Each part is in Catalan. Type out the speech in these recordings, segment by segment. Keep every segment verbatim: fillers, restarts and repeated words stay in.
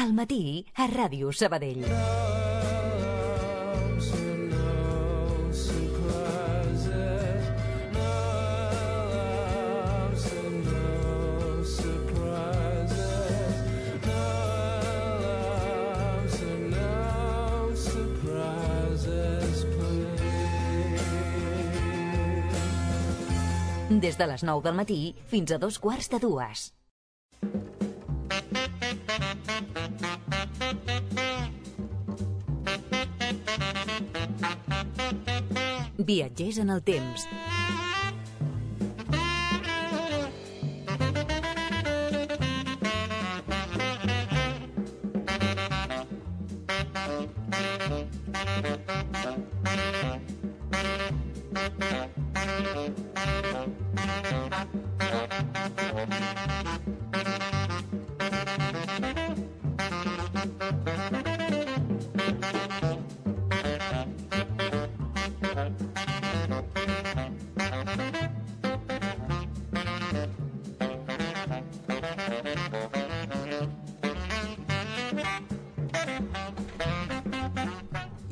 al matí a Ràdio Sabadell. Des de les nou del matí fins a dos quarts de dues. Viatgers en el temps.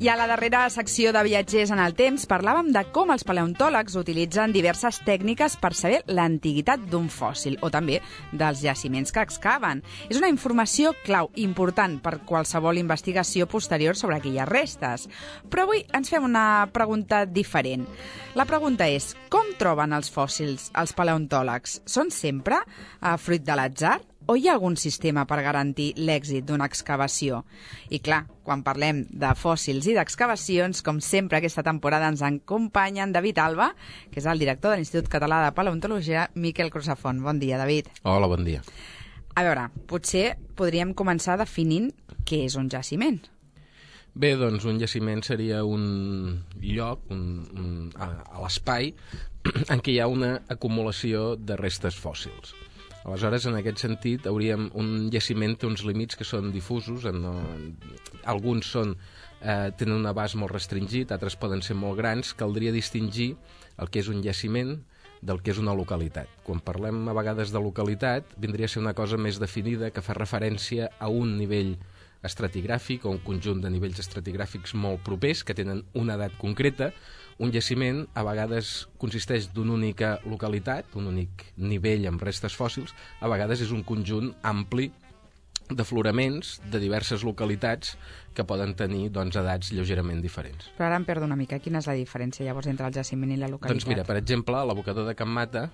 I a la darrera secció de Viatgers en el temps parlàvem de com els paleontòlegs utilitzen diverses tècniques per saber l'antiguitat d'un fòssil o també dels jaciments que excaven. És una informació clau, important per qualsevol investigació posterior sobre aquelles restes. Però avui ens fem una pregunta diferent. La pregunta és, com troben els fòssils els paleontòlegs? Són sempre eh, fruit de l'atzar? O hi ha algun sistema per garantir l'èxit d'una excavació? I clar, quan parlem de fòssils i d'excavacions, com sempre aquesta temporada ens acompanyen David Alba, que és el director de l'Institut Català de Paleontologia, Miquel Crusafont. Bon dia, David. Hola, bon dia. A veure, potser podríem començar definint què és un jaciment. Bé, doncs un jaciment seria un lloc un, un, a, a l'espai en què hi ha una acumulació de restes fòssils. Aleshores, en aquest sentit, hauríem un jaciment té uns límits que són difusos. En, en, alguns són, eh, tenen un abast molt restringit, altres poden ser molt grans. Caldria distingir el que és un jaciment del que és una localitat. Quan parlem a vegades de localitat, vindria a ser una cosa més definida que fa referència a un nivell estratigràfic o un conjunt de nivells estratigràfics molt propers que tenen una edat concreta. Un jaciment a vegades consisteix d'una única localitat, un únic nivell amb restes fòssils, a vegades és un conjunt ampli d'afloraments de diverses localitats que poden tenir doncs, edats lleugerament diferents. Però ara em perdo una mica. Quina és la diferència llavors entre el jaciment i la localitat? Doncs mira, per exemple, l'abocador de Can Mata,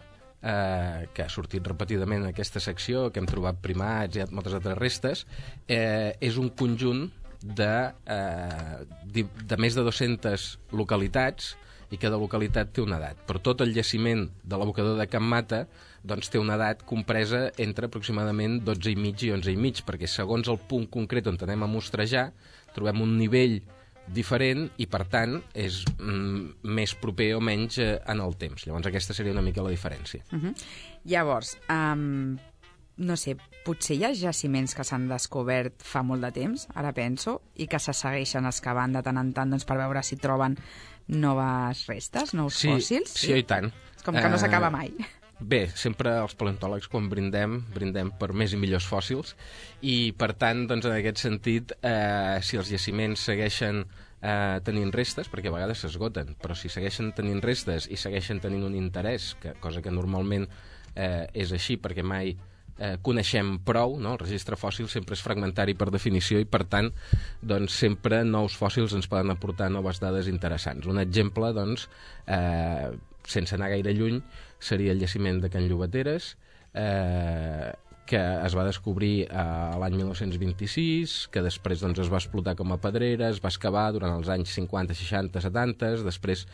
eh, que ha sortit repetidament en aquesta secció, que hem trobat primats i moltes altres restes, eh, és un conjunt de, eh, de més de dues-centes localitats i cada localitat té una edat. Però tot el jaciment de l'abocador de Can Mata doncs, té una edat compresa entre aproximadament dotze i mig i onze i mig, perquè segons el punt concret on anem a mostrejar trobem un nivell diferent i, per tant, és mm, més proper o menys eh, en el temps. Llavors, aquesta seria una mica la diferència. Uh-huh. Llavors, um, no sé, potser hi ha jaciments que s'han descobert fa molt de temps, ara penso, i que se segueixen excavant de tant en tant doncs, per veure si troben noves restes, nous sí, fòssils? Sí, i tant. És com que no s'acaba mai. Bé, sempre els paleontòlegs quan brindem, brindem per més i millors fòssils i, per tant, doncs, en aquest sentit, eh, si els jaciments segueixen eh, tenint restes, perquè a vegades s'esgoten, però si segueixen tenint restes i segueixen tenint un interès, que, cosa que normalment eh, és així perquè mai eh, coneixem prou, no? El registre fòssil sempre és fragmentari per definició i, per tant, doncs, sempre nous fòssils ens poden aportar noves dades interessants. Un exemple, doncs, eh, sense anar gaire lluny, seria el jaciment de Can Llobateres, eh, que es va descobrir eh, l'any mil nou-cents vint-i-sis, que després doncs, es va explotar com a pedrera, es va excavar durant els anys cinquanta, seixanta, setanta, després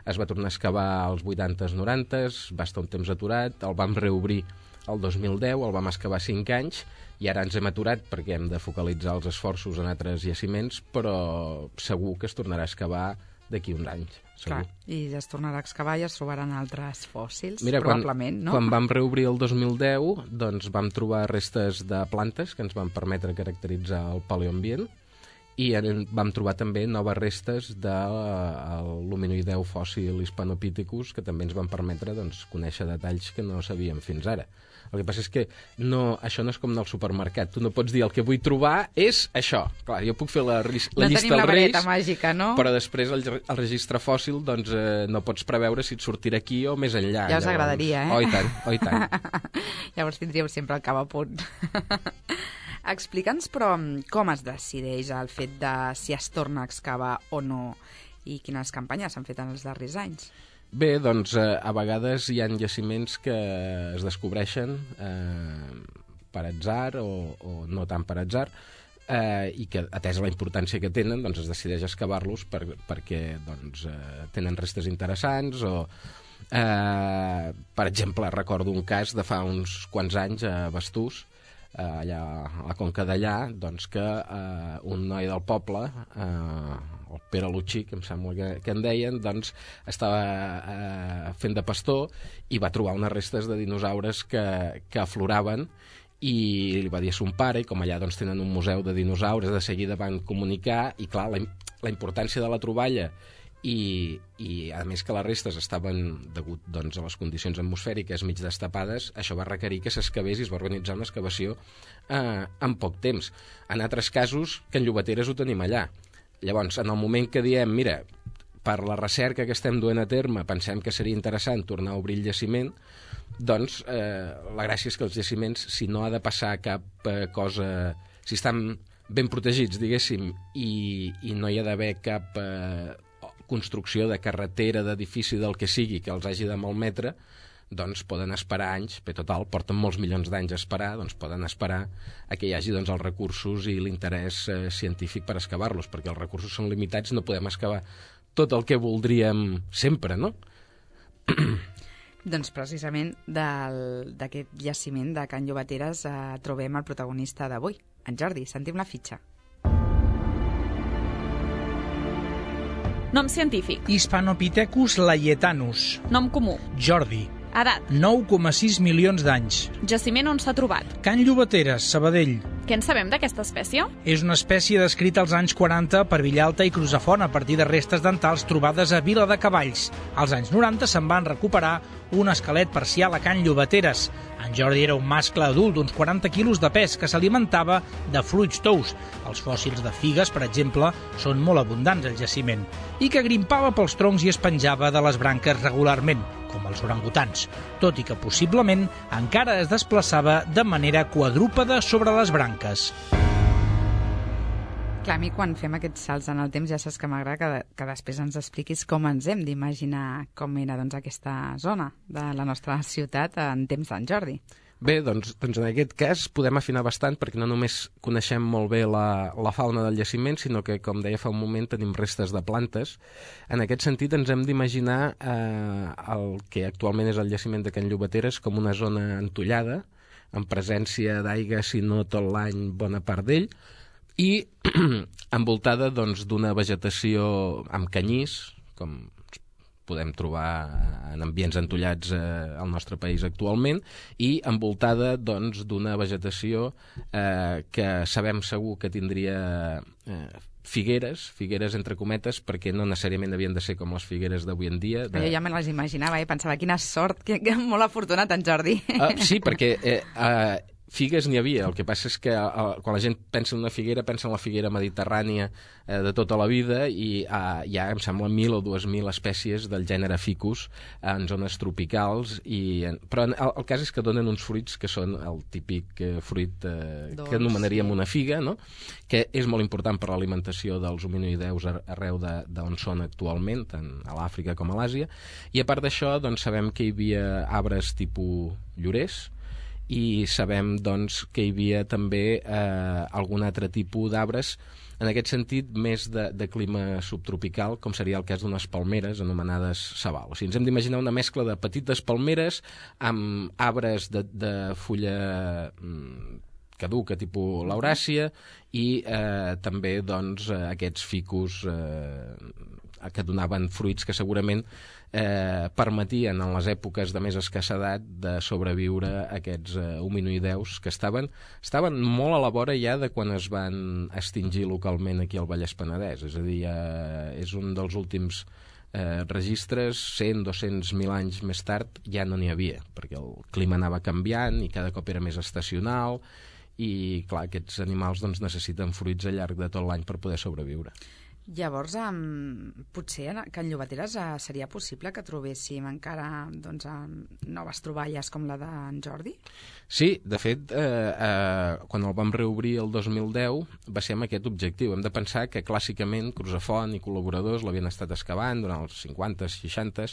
es va tornar a excavar als vuitanta, noranta, va estar un temps aturat, el vam reobrir el dos mil deu, el vam excavar cinc anys i ara ens hem aturat perquè hem de focalitzar els esforços en altres jaciments, però segur que es tornarà a excavar d'aquí uns anys. Segur. Clar, i es tornarà a excavar i es trobaran altres fòssils, Mira, probablement, quan, no? Quan vam reobrir el dos mil deu, doncs vam trobar restes de plantes que ens van permetre caracteritzar el paleoambient i en, vam trobar també noves restes de l'hominoideu fòssil Hispanopithecus, que també ens van permetre doncs, conèixer detalls que no sabíem fins ara. El que passa és que no, això no és com anar al supermercat. Tu no pots dir el que vull trobar és això. Clar, jo puc fer la, la no llista dels Reis, la vareta màgica, no? però després el, el registre fòssil doncs, eh, no pots preveure si et sortirà aquí o més enllà. Ja us llavors... agradaria, eh? Oh, i tant, oh, i tant. Llavors tindríeu sempre el cap a punt. Explica'ns, però, com es decideix el fet de si es torna a excavar o no i quines campanyes s'han fet en els darrers anys? Bé, doncs eh, a vegades hi ha jaciments que es descobreixen eh, per atzar o, o no tant per atzar, eh, i que, atesa la importància que tenen, doncs es decideix excavar-los per, perquè doncs, eh, tenen restes interessants o, eh, per exemple, recordo un cas de fa uns quants anys a Bastús, eh, allà a la Conca d'Allà, doncs que eh, un noi del poble, eh, el Pere Lutxí, que em sembla que, que en deien, doncs estava eh, fent de pastor i va trobar unes restes de dinosaures que, que afloraven i li va dir a son pare, i com allà doncs, tenen un museu de dinosaures, de seguida van comunicar, i clar, la, la importància de la troballa i, i a més que les restes estaven, degut doncs, a les condicions atmosfèriques mig destapades, això va requerir que s'excavés i es va organitzar una excavació eh, en poc temps. En altres casos, que en Llobateres ho tenim allà. Llavors, en el moment que diem, mira, per la recerca que estem duent a terme, pensem que seria interessant tornar a obrir el jaciment, doncs eh, la gràcia és que els jaciments, si no ha de passar cap eh, cosa, si estan ben protegits, diguéssim, i, i no hi ha d'haver cap eh, construcció de carretera, d'edifici, del que sigui, que els hagi de malmetre, doncs poden esperar anys, per total, porten molts milions d'anys a esperar, doncs poden esperar a que hi hagi doncs, els recursos i l'interès eh, científic per excavar-los, perquè els recursos són limitats, no podem excavar tot el que voldríem sempre, no? Doncs precisament d'aquest jaciment de Can Llobateres eh, trobem el protagonista d'avui, en Jordi. Sentim la fitxa. Nom científic. Hispanopithecus laietanus. Nom comú. Jordi. Edat. nou coma sis milions d'anys. Jaciment on s'ha trobat. Can Llobateres, Sabadell. Què en sabem d'aquesta espècie? És una espècie descrita als anys quaranta per Villalta i Crusafont a partir de restes dentals trobades a Vila de Cavalls. Als anys noranta se'n van recuperar un esquelet parcial a Can Llobateres. En Jordi era un mascle adult d'uns quaranta quilos de pes que s'alimentava de fruits tous. Els fòssils de figues, per exemple, són molt abundants al jaciment, i que grimpava pels troncs i es penjava de les branques regularment, com els orangutans, tot i que possiblement encara es desplaçava de manera quadrúpeda sobre les branques. Clar, a mi quan fem aquests salts en el temps ja saps que m'agrada que, que després ens expliquis com ens hem d'imaginar com era doncs, aquesta zona de la nostra ciutat en temps d'en Jordi. Bé, doncs, doncs en aquest cas podem afinar bastant perquè no només coneixem molt bé la, la fauna del jaciment, sinó que, com deia fa un moment, tenim restes de plantes. En aquest sentit ens hem d'imaginar eh, el que actualment és el jaciment de Can Llobateres com una zona entollada, en presència d'aigua, si no tot l'any, bona part d'ell, i envoltada doncs, d'una vegetació amb canyís, com podem trobar en ambients entollats eh, al nostre país actualment, i envoltada doncs, d'una vegetació eh, que sabem segur que tindria eh, figueres, figueres entre cometes, perquè no necessàriament havien de ser com les figueres d'avui en dia. De... Jo ja me les imaginava i eh? pensava, quina sort, que, que molt afortunat en Jordi. Uh, sí, perquè... Eh, uh, figues n'hi havia, el que passa és que uh, quan la gent pensa en una figuera, pensa en la figuera mediterrània uh, de tota la vida i uh, hi ha, em sembla, mil o dues mil espècies del gènere Ficus uh, en zones tropicals, i, uh, però el, el cas és que donen uns fruits que són el típic uh, fruit uh, que anomenaríem una figa, no? Que és molt important per l'alimentació dels hominoideus arreu d'on són actualment, tant a l'Àfrica com a l'Àsia, i a part d'això doncs, sabem que hi havia arbres tipus llorers, i sabem doncs, que hi havia també eh, algun altre tipus d'arbres, en aquest sentit més de, de clima subtropical, com seria el cas d'unes palmeres anomenades sabal. O sigui, ens hem d'imaginar una mescla de petites palmeres amb arbres de, de fulla mm, caduca, tipus lauràcia, i eh, també doncs, aquests ficus eh, que donaven fruits que segurament eh, permetien en les èpoques de més escassedat de sobreviure aquests eh, hominoideus que estaven, estaven molt a la vora ja de quan es van extingir localment aquí al Vallès Penedès, és a dir, eh, és un dels últims eh, registres, cent, dos-cents mil anys més tard ja no n'hi havia, perquè el clima anava canviant i cada cop era més estacional, i clar, aquests animals doncs, necessiten fruits al llarg de tot l'any per poder sobreviure. Llavors, um, potser que en Llobateres uh, seria possible que trobéssim encara doncs, uh, noves troballes com la d'en Jordi? Sí, de fet, eh, eh, quan el vam reobrir el dos mil deu va ser amb aquest objectiu. Hem de pensar que clàssicament Crusafont i col·laboradors l'havien estat excavant durant els cinquanta, seixanta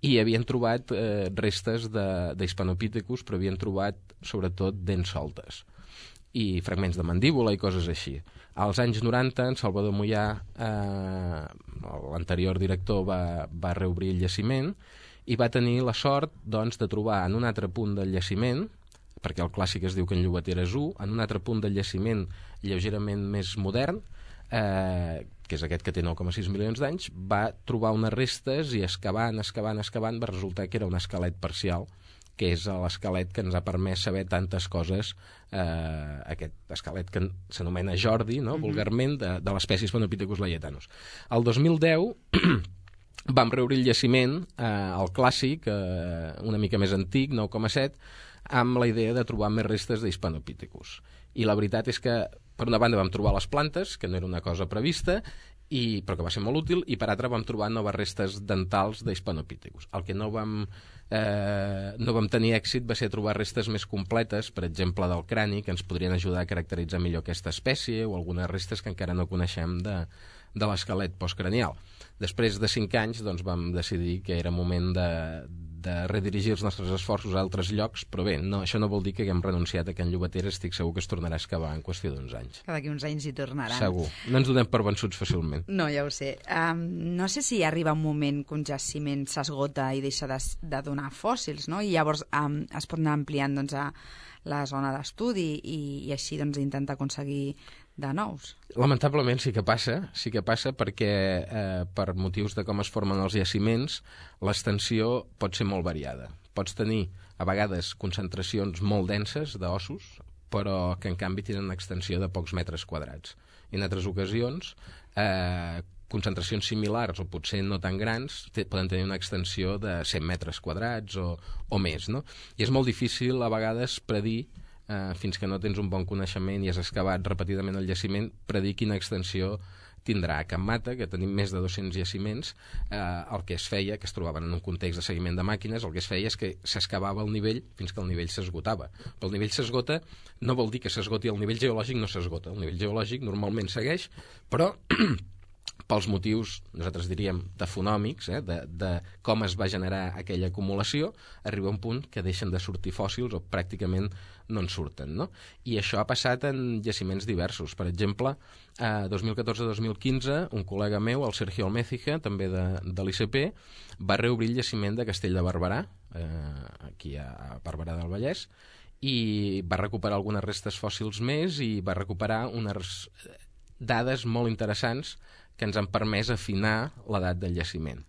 i havien trobat eh, restes d'Hispanopithecus, però havien trobat sobretot dents soltes i fragments de mandíbula i coses així. Als anys noranta, en Salvador Mollà, eh, l'anterior director, va, va reobrir el jaciment i va tenir la sort doncs, de trobar en un altre punt del jaciment, perquè el clàssic es diu que en Llobateres u, en un altre punt del jaciment lleugerament més modern, eh, que és aquest que té nou coma sis milions d'anys, va trobar unes restes i excavant, excavant, excavant, va resultar que era un esquelet parcial, que és l'esquelet que ens ha permès saber tantes coses, eh, aquest esquelet que s'anomena Jordi, no? Mm-hmm. vulgarment, de, de l'espècie Hispanopithecus layetanus. El dos mil deu vam reobrir el jaciment, eh, el clàssic, eh, una mica més antic, nou coma set, amb la idea de trobar més restes d'Hispanopithecus. I la veritat és que, per una banda, vam trobar les plantes, que no era una cosa prevista, i, però que va ser molt útil, i per altra vam trobar noves restes dentals d'Hispanopithecus. El que no vam, eh, no vam tenir èxit va ser trobar restes més completes, per exemple del crani, que ens podrien ajudar a caracteritzar millor aquesta espècie, o algunes restes que encara no coneixem de, de l'esquelet postcranial. Després de cinc anys doncs, vam decidir que era moment de, de redirigir els nostres esforços a altres llocs, però bé, no, això no vol dir que haguem renunciat a que en Llobateres estic segur que es tornarà a excavar en qüestió d'uns anys. Que d'aquí uns anys hi tornaran. Segur. No ens donem per vençuts fàcilment. No, ja ho sé. Um, no sé si arriba un moment que un jaciment s'esgota i deixa de, de donar fòssils, no? I llavors um, es pot anar ampliant doncs, a la zona d'estudi i, i així doncs, intentar aconseguir de nous. Lamentablement sí que passa, sí que passa perquè eh, per motius de com es formen els jaciments l'extensió pot ser molt variada. Pots tenir a vegades concentracions molt denses d'ossos, però que en canvi tenen una extensió de pocs metres quadrats. I en altres ocasions eh, concentracions similars o potser no tan grans poden tenir una extensió de cent metres quadrats o, o més, no? I és molt difícil a vegades predir, Uh, fins que no tens un bon coneixement i has excavat repetidament el jaciment, predir quina extensió tindrà. A Can Mata, que tenim més de dos-cents jaciments, eh, el que es feia, que es trobaven en un context de seguiment de màquines, el que es feia és que s'excavava el nivell fins que el nivell s'esgotava. Però el nivell s'esgota no vol dir que s'esgoti, el nivell geològic no s'esgota. El nivell geològic normalment segueix, però pels motius, nosaltres diríem, tafonòmics, eh, de, de com es va generar aquella acumulació, arriba un punt que deixen de sortir fòssils o pràcticament no en surten, no? I això ha passat en jaciments diversos. Per exemple, a dos mil catorze dos mil quinze, un col·lega meu, el Sergio Almécija, també de, de l'I C P, va reobrir el jaciment de Castell de Barberà, eh, aquí a Barberà del Vallès, i va recuperar algunes restes fòssils més i va recuperar unes dades molt interessants que ens han permès afinar l'edat del jaciment.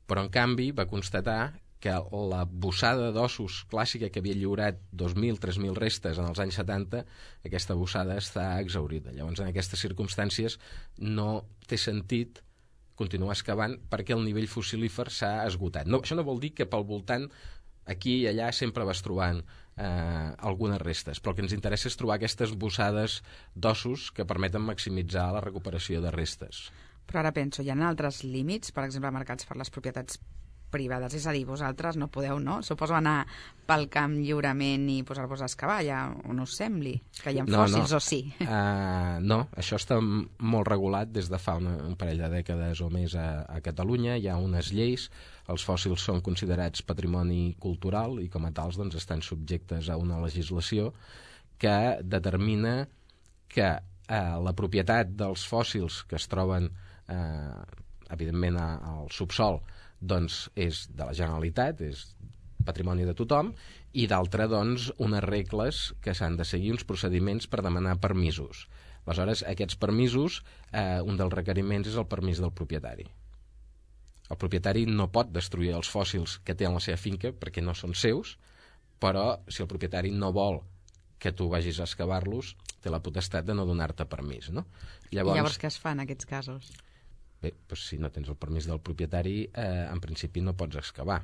Però, en canvi, va constatar que la bossada d'ossos clàssica que havia lliurat dos mil a tres mil restes en els anys setanta, aquesta bossada està exhaurida. Llavors, en aquestes circumstàncies, no té sentit continuar excavant perquè el nivell fossilífer s'ha esgotat. No, això no vol dir que pel voltant, aquí i allà, sempre vas trobant eh, algunes restes, però el que ens interessa és trobar aquestes bossades d'ossos que permeten maximitzar la recuperació de restes. Però ara penso, hi ha altres límits, per exemple, marcats per les propietats privades, és a dir, vosaltres no podeu, no? Suposo anar pel camp lliurement i posar-vos a excavar, ja no us sembli que hi ha no, fòssils no. o sí? Uh, no, això està molt regulat des de fa una, un parell de dècades o més a, a Catalunya, hi ha unes lleis, els fòssils són considerats patrimoni cultural i com a tals doncs, estan subjectes a una legislació que determina que uh, la propietat dels fòssils que es troben eh, evidentment al subsol doncs és de la Generalitat, és patrimoni de tothom, i d'altra doncs unes regles que s'han de seguir, uns procediments per demanar permisos. Aleshores, aquests permisos, eh, un dels requeriments és el permís del propietari. El propietari no pot destruir els fòssils que té en la seva finca perquè no són seus, però si el propietari no vol que tu vagis a excavar-los, té la potestat de no donar-te permís, no? Llavors... I llavors què es fa en aquests casos? Bé, doncs si no tens el permís del propietari, eh, en principi no pots excavar,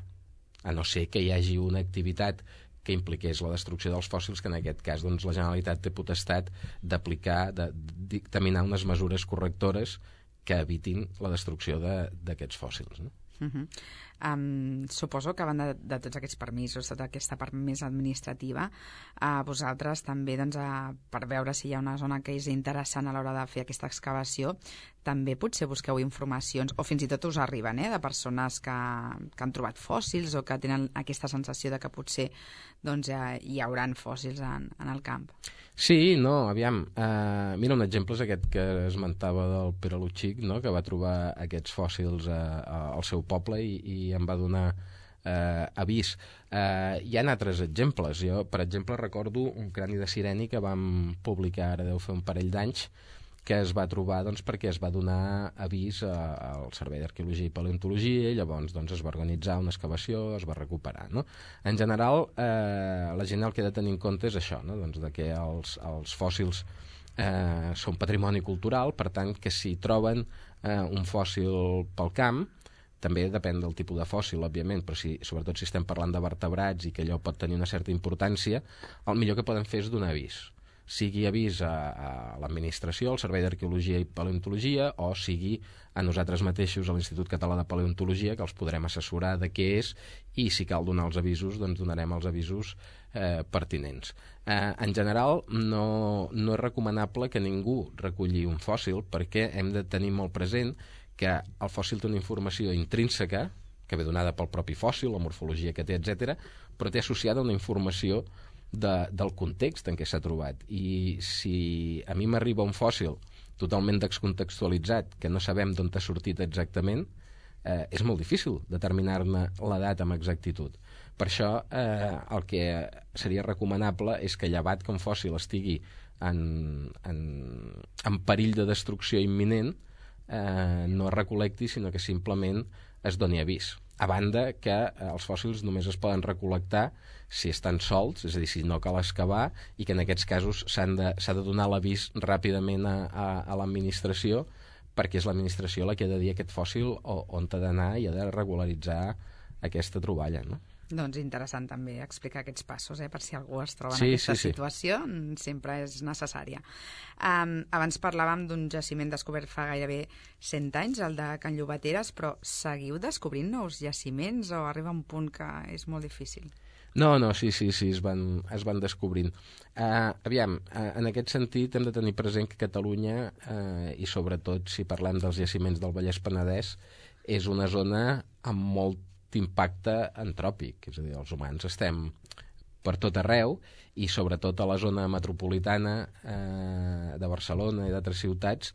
a no ser que hi hagi una activitat que impliqués la destrucció dels fòssils, que en aquest cas doncs, la Generalitat té potestat d'aplicar, de dictaminar unes mesures correctores que evitin la destrucció d'aquests fòssils, no? Uh-huh. Um, suposo que a banda de, de tots aquests permisos, tota aquesta part més administrativa, uh, vosaltres també, doncs, uh, per veure si hi ha una zona que és interessant a l'hora de fer aquesta excavació, també potser busqueu informacions, o fins i tot us arriben, eh, de persones que, que han trobat fòssils o que tenen aquesta sensació de que potser doncs, uh, hi hauran fòssils en, en el camp. Sí, no, aviam, uh, mira, un exemple és aquest que esmentava del Pere Lutxic, no?, que va trobar aquests fòssils a, a, al seu poble i, i em va donar eh, avís. Eh, hi ha altres exemples. Jo, per exemple, recordo un crani de sireni que vam publicar ara deu fer un parell d'anys, que es va trobar doncs, perquè es va donar avís a, al Servei d'Arqueologia i Paleontologia i llavors doncs, es va organitzar una excavació, es va recuperar, no? En general, eh, la gent el que ha de tenir en compte és això, no? Doncs de que els, els fòssils eh, són patrimoni cultural, per tant, que si troben eh, un fòssil pel camp, també depèn del tipus de fòssil, òbviament, però si, sobretot si estem parlant de vertebrats i que allò pot tenir una certa importància, el millor que poden fer és donar avís. Sigui avís a, a l'administració, al Servei d'Arqueologia i Paleontologia, o sigui a nosaltres mateixos, a l'Institut Català de Paleontologia, que els podrem assessorar de què és, i si cal donar els avisos, doncs donarem els avisos eh, pertinents. Eh, en general, no, no és recomanable que ningú reculli un fòssil, perquè hem de tenir molt present que el fòssil té una informació intrínseca, que ve donada pel propi fòssil, la morfologia que té, etcètera, però té associada una informació de, del context en què s'ha trobat. I si a mi m'arriba un fòssil totalment descontextualitzat, que no sabem d'on ha sortit exactament, eh, és molt difícil determinar-ne l'edat amb exactitud. Per això eh, el que seria recomanable és que, llevat que un fòssil estigui en, en, en perill de destrucció imminent, eh, no es recol·lecti, sinó que simplement es doni avís. A banda que eh, els fòssils només es poden recol·lectar si estan solts, és a dir, si no cal excavar, i que en aquests casos s'ha de, s'ha de donar l'avís ràpidament a, a, a l'administració, perquè és l'administració la que ha de dir aquest fòssil o, on ha d'anar i ha de regularitzar aquesta troballa, no? Doncs interessant també explicar aquests passos, eh, per si algú es troba en sí, aquesta sí, situació, sí. Sempre és necessària. Um, abans parlàvem d'un jaciment descobert fa gairebé cent anys, el de Can Llobateres, però seguiu descobrint nous jaciments o arriba un punt que és molt difícil? No, no, sí, sí, sí, es van, es van descobrint. Uh, aviam, uh, en aquest sentit hem de tenir present que Catalunya, uh, i sobretot si parlem dels jaciments del Vallès Penedès, és una zona amb molt d'impacte antròpic, és a dir, els humans estem per tot arreu i sobretot a la zona metropolitana eh, de Barcelona i d'altres ciutats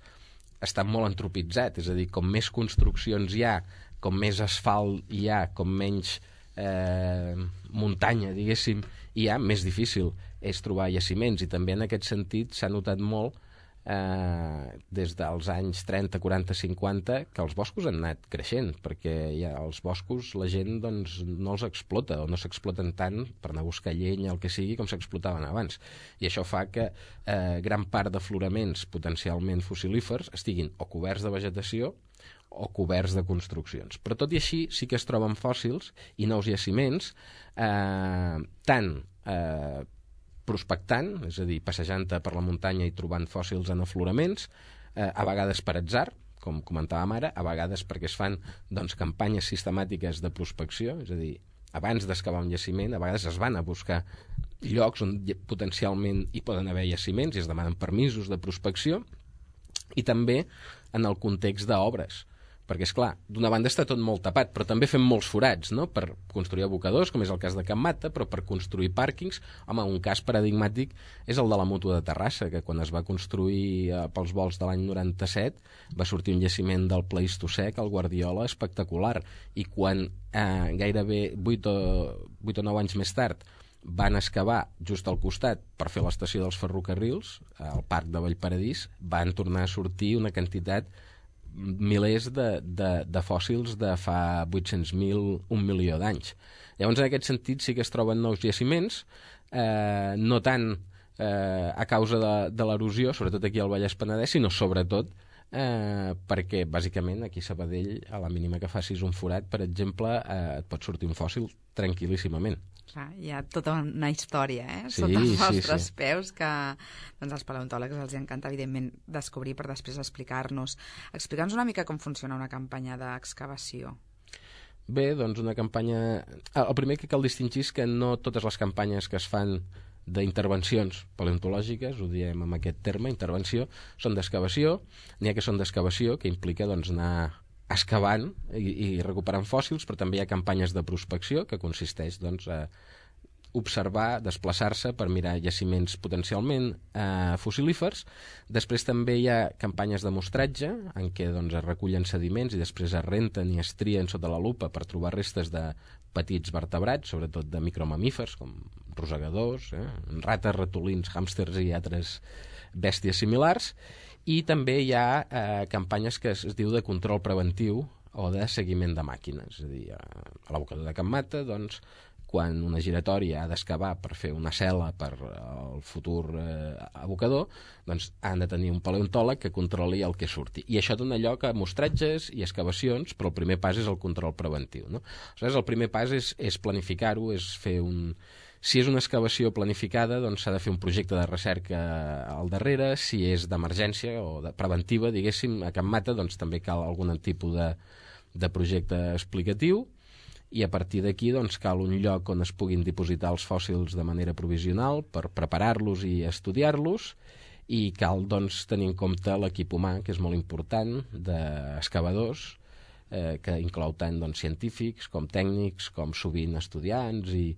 està molt antropitzat, és a dir, com més construccions hi ha, com més asfalt hi ha, com menys eh, muntanya, diguéssim, hi ha, més difícil és trobar jaciments, i també en aquest sentit s'ha notat molt Eh, des dels anys trenta, quaranta, cinquanta, que els boscos han anat creixent, perquè ja els boscos la gent doncs, no els explota o no s'exploten tant per anar a buscar llenya, el que sigui, com s'explotaven abans, i això fa que eh, gran part d'afloraments potencialment fossilífers estiguin o coberts de vegetació o coberts de construccions. Però tot i així sí que es troben fòssils i nous jaciments, eh, tant eh, prospectant, és a dir, passejant-te per la muntanya i trobant fòssils en afloraments, eh, a vegades per atzar, com comentàvem ara, a vegades perquè es fan doncs, campanyes sistemàtiques de prospecció, és a dir, abans d'excavar un jaciment, a vegades es van a buscar llocs on potencialment hi poden haver jaciments i es demanen permisos de prospecció, i també en el context d'obres, perquè, és clar, d'una banda està tot molt tapat, però també fem molts forats, no?, per construir abocadors, com és el cas de Can Mata, però per construir pàrquings, home, un cas paradigmàtic és el de la Mútua de Terrassa, que quan es va construir eh, pels vols de l'any noranta-set va sortir un jaciment del Pleistocè, el Guardiola, espectacular, i quan eh, gairebé vuit o, vuit o nou anys més tard van excavar just al costat per fer l'estació dels ferrocarrils, al parc de Vallparadís, van tornar a sortir una quantitat milers de, de, de fòssils de fa vuit-cents mil, un milió d'anys. Llavors, en aquest sentit, sí que es troben nous jaciments, eh, no tant eh, a causa de, de l'erosió, sobretot aquí al Vallès Penedès, sinó sobretot eh, perquè, bàsicament, aquí a Sabadell, a la mínima que facis un forat, per exemple, eh, et pot sortir un fòssil tranquil·líssimament. Clar, hi ha tota una història, eh? Sí, sota els sí, nostres sí. peus que doncs, als paleontòlegs els encanta, evidentment, descobrir per després explicar-nos. Explica'ns una mica com funciona una campanya d'excavació. Bé, doncs una campanya... El primer que cal distingir és que no totes les campanyes que es fan d'intervencions paleontològiques, ho diem amb aquest terme, intervenció, són d'excavació. N'hi ha que són d'excavació, que implica doncs, anar excavant i, i recuperant fòssils, però també hi ha campanyes de prospecció, que consisteix doncs, a observar, desplaçar-se per mirar jaciments potencialment eh, fossilífers. Després també hi ha campanyes de mostratge, en què doncs, es recullen sediments i després es renten i es trien sota la lupa per trobar restes de petits vertebrats, sobretot de micromamífers, com rosegadors, eh, rates, ratolins, hàmsters i altres bèsties similars. I també hi ha eh, campanyes que es, es diu de control preventiu o de seguiment de màquines. És a dir, a l'abocador de Can Mata, doncs, quan una giratòria ha d'excavar per fer una cel·la per al futur eh, abocador, doncs han de tenir un paleontòleg que controli el que surti. I això dona lloc a mostratges i excavacions, però el primer pas és el control preventiu. No? Aleshores, el primer pas és, és planificar-ho, és fer un... Si és una excavació planificada, doncs s'ha de fer un projecte de recerca al darrere. Si és d'emergència o de preventiva, diguéssim, a Can Mata, doncs també cal algun tipus de, de projecte explicatiu. I a partir d'aquí doncs, cal un lloc on es puguin dipositar els fòssils de manera provisional per preparar-los i estudiar-los, i cal doncs, tenir en compte l'equip humà, que és molt important, d'excavadors, eh, que inclou tant doncs, científics com tècnics, com sovint estudiants i,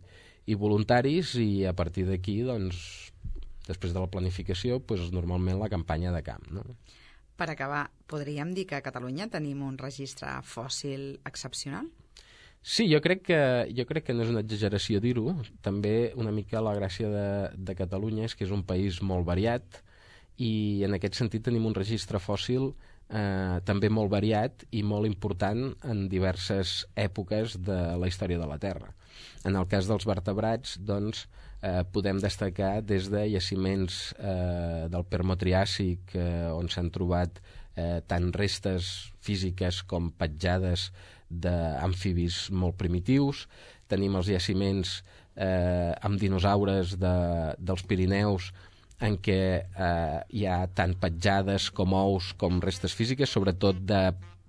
i voluntaris, i a partir d'aquí, doncs, després de la planificació, doncs, normalment la campanya de camp. No? Per acabar, podríem dir que a Catalunya tenim un registre fòssil excepcional? Sí, jo crec que, jo crec que no és una exageració dir-ho. També una mica la gràcia de, de Catalunya és que és un país molt variat i en aquest sentit tenim un registre fòssil eh, també molt variat i molt important en diverses èpoques de la història de la Terra. En el cas dels vertebrats, doncs, eh, podem destacar des de jaciments eh, del Permotriàsic, eh, on s'han trobat eh, tant restes físiques com petjades d'amfibis molt primitius. Tenim els jaciments eh, amb dinosaures de, dels Pirineus, en què eh, hi ha tant petjades com ous com restes físiques, sobretot de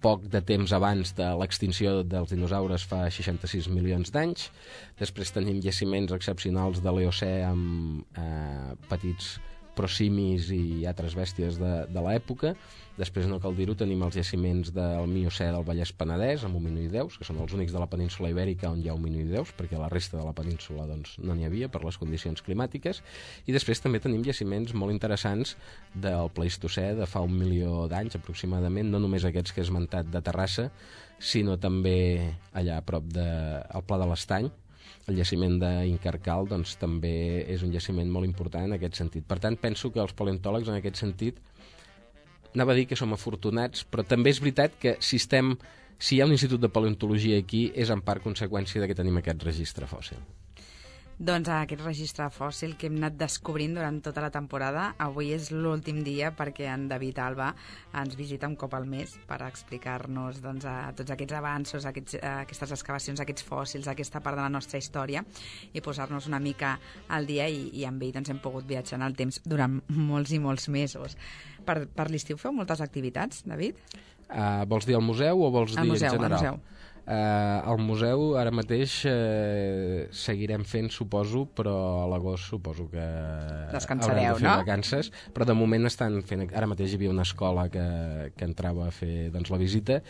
poc de temps abans de l'extinció dels dinosaures fa seixanta-sis milions d'anys. Després tenim jaciments excepcionals de l'Eocè amb eh, petits prosimis i altres bèsties de, de l'època. Després, no cal dir-ho, tenim els jaciments del Miocè del Vallès Penedès amb hominoïdeus, que són els únics de la península Ibèrica on hi ha hominoïdeus, perquè la resta de la península doncs, no n'hi havia per les condicions climàtiques. I després també tenim jaciments molt interessants del Pleistocè de fa un milió d'anys aproximadament, no només aquests que he esmentat de Terrassa, sinó també allà a prop del de, Pla de l'Estany. El jaciment d'Incarcal doncs, també és un jaciment molt important en aquest sentit. Per tant, penso que els paleontòlegs en aquest sentit, anava a dir que som afortunats, però també és veritat que si, estem, si hi ha un institut de paleontologia aquí és en part conseqüència de que tenim aquest registre fòssil. Doncs aquest registre fòssil que hem anat descobrint durant tota la temporada, avui és l'últim dia perquè en David Alba ens visita un cop al mes per explicar-nos doncs, a tots aquests avanços, aquests, aquestes excavacions, aquests fòssils, aquesta part de la nostra història i posar-nos una mica al dia i, i amb ell doncs, hem pogut viatjar en el temps durant molts i molts mesos. Per, per l'estiu feu moltes activitats, David? Uh, vols dir al museu o vols al dir museu, en general? Al museu. Uh, al museu ara mateix uh, seguirem fent, suposo, però a l'agost suposo que descansareu, haurem de fer no? vacances, però de moment estan fent... Ara mateix hi havia una escola que, que entrava a fer doncs, la visita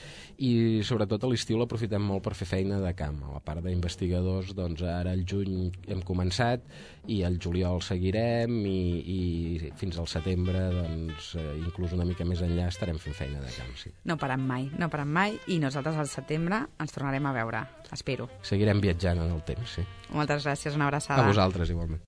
i sobretot a l'estiu l'aprofitem molt per fer feina de camp. A la part d'investigadors, doncs ara al juny hem començat i al juliol seguirem i, i fins al setembre, doncs, inclús una mica més enllà, estarem fent feina de camp. Sí. No parem mai, no parem mai i nosaltres al setembre ens tornarem a veure, espero. Seguirem viatjant en el temps, sí. Moltes gràcies, una abraçada. A vosaltres, igualment.